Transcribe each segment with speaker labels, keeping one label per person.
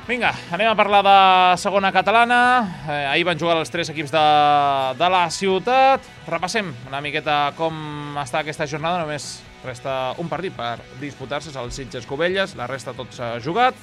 Speaker 1: Vinga, anem a parlar de segona catalana. Ahir van jugar els 3 equips de la ciutat. Repassem una miqueta com està aquesta jornada. Només resta un partit per disputar-se, és el Sitges-Cubelles. La resta tot s'ha jugat.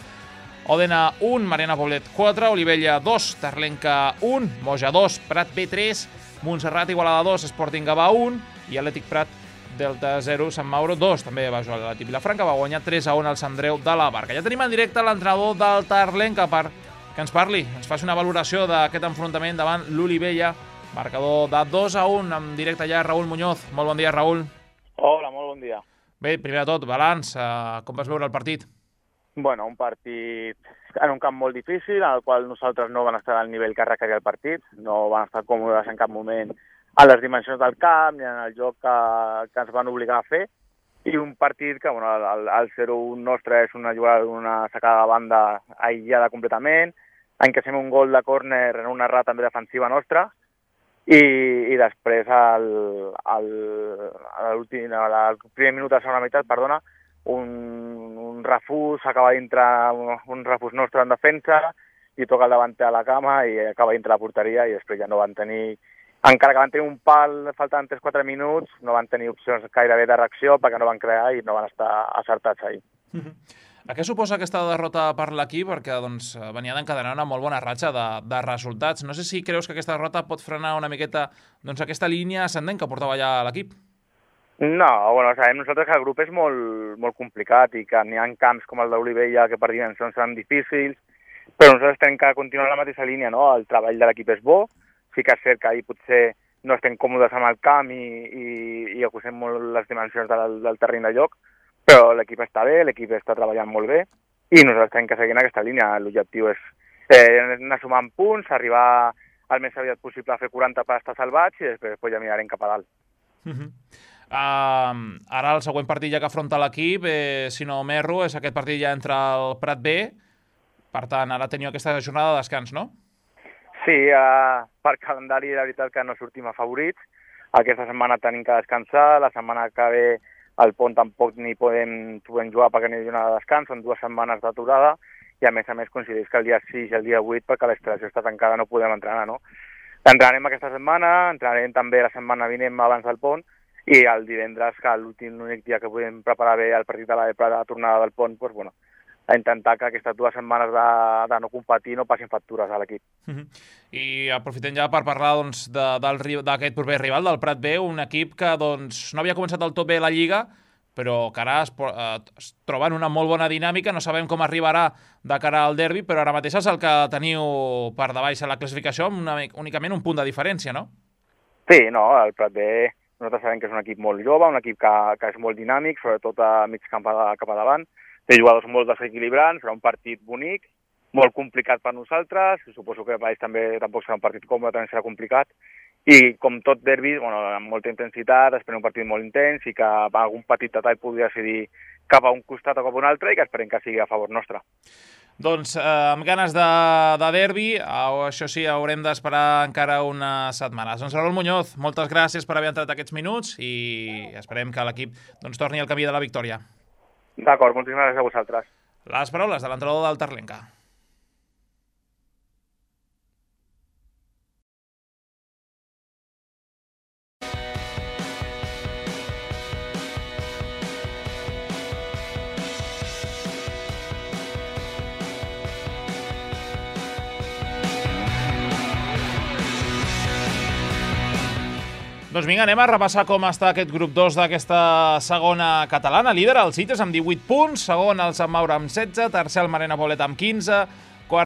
Speaker 1: Òdena 1, Mariana Poblet 4, Olivella 2, Terlenca 1, Moja 2, Prat B 3, Montserrat Igualada 2, Sporting Gavà 1 i Atlètic Prat Delta 0, Sant Mauro 2. També va jugar l'Atlètic Vilafranca, va guanyar 3-1 al Sant Andreu de la Barca. Ja tenim en directe l'entrenador del Terlenca per que ens parli, ens faci una valoració d'aquest enfrontament davant l'Olivella. Marcador de 2-1, en directe ja Raül Muñoz. Molt bon dia, Raül.
Speaker 2: Hola, molt bon dia.
Speaker 1: Bé, primer de tot, balanç, com vas veure el partit?
Speaker 2: Bueno, un partit en un camp molt difícil, en el qual nosaltres no van estar al nivell que requeria el partit, no van estar còmodes en cap moment a les dimensions del camp ni en el joc que ens van obligar a fer, i un partit que, bueno, el 0-1 nostre és una jugada d'una sacada de banda aïllada completament, encaixem un gol de córner en una errada també defensiva nostra, i després al primer minut de la segona meitat, perdona, un refús, acaba d'entrar un refús nostre en defensa i toca el davanter a la cama i acaba dintre la porteria, i després ja no van tenir, encara que van tenir un pal faltant 3-4 minuts, no van tenir opcions gairebé de reacció perquè no van crear i no van estar acertats ahir.
Speaker 1: A què suposa aquesta derrota per l'equip? Perquè venia d'encadenar una molt bona ratxa de resultats. No sé si creus que aquesta derrota pot frenar una miqueta aquesta línia ascendent que portava ja l'equip.
Speaker 2: No, bueno, sabem nosaltres que el grup és molt complicat i que n'hi ha camps com el d'Olivella que per dimensions seran difícils, però nosaltres tenim que continuar la mateixa línia, no? El treball de l'equip és bo, sí que és cert que ahir potser no estem còmodes amb el camp i acusem molt les dimensions del terreny de joc, però l'equip està bé, l'equip està treballant molt bé i nosaltres tenim que seguir en aquesta línia. L'objectiu és anar sumant punts, arribar al més aviat possible a fer 40 per estar salvats i després ja mirarem cap a dalt.
Speaker 1: Ara el següent partit ja que afronta l'equip, si no m'erro, és aquest partit ja entre el Prat B. Per tant, ara teniu aquesta jornada de descans, no?
Speaker 2: Sí, per calendari la veritat que no sortim afavorits. Aquesta setmana tenim que descansar, la setmana que ve al pont tampoc ni podem jugar perquè no hi ha jornada de descans, són 2 setmanes d'aturada i a més coincideix que el dia 6 i el dia 8 perquè la instal·lació està tancada no podem entrenar, no? Entrenarem aquesta setmana, entrenarem també la setmana vinent abans del pont i el divendres, que l'únic dia que podem preparar bé el partit de la tornada del pont, doncs, bueno, a intentar que aquestes 2 setmanes de no competir no passin factures a l'equip.
Speaker 1: I aprofitem ja per parlar d'aquest proper rival, del Prat B, un equip que no havia començat del tot bé la Lliga, però que ara es troba en una molt bona dinàmica. No sabem com arribarà de cara al derbi, però ara mateix és el que teniu per davall a la classificació amb únicament un punt de diferència, no?
Speaker 2: Sí, no, el Prat B nosaltres sabem que és un equip molt jove, un equip que és molt dinàmic, sobretot a mig camp cap a davant. Té jugadors molt desequilibrants, serà un partit bonic, molt complicat per nosaltres, suposo que per ells també tampoc serà un partit còmode, també serà complicat, i com tot derbi, bueno, amb molta intensitat, esperem un partit molt intens i que algun petit detall pugui decidir cap a un costat o cap a un altre i que esperem que sigui a favor nostre.
Speaker 1: Doncs amb ganes de derbi, això sí, haurem d'esperar encara unes setmanes. Doncs Raül Muñoz, moltes gràcies per haver entrat aquests minuts i esperem que l'equip torni al camí de la victòria.
Speaker 2: D'acord, moltíssimes gràcies a vosaltres.
Speaker 1: Les paraules de l'entrenador del Terlenca. Doncs vinga, anem a repassar com està aquest grup 2 d'aquesta segona catalana. Líder el Sitges amb 18 punts, segon el Sant Mauro amb 16, tercer el Mariana Poblet amb 15,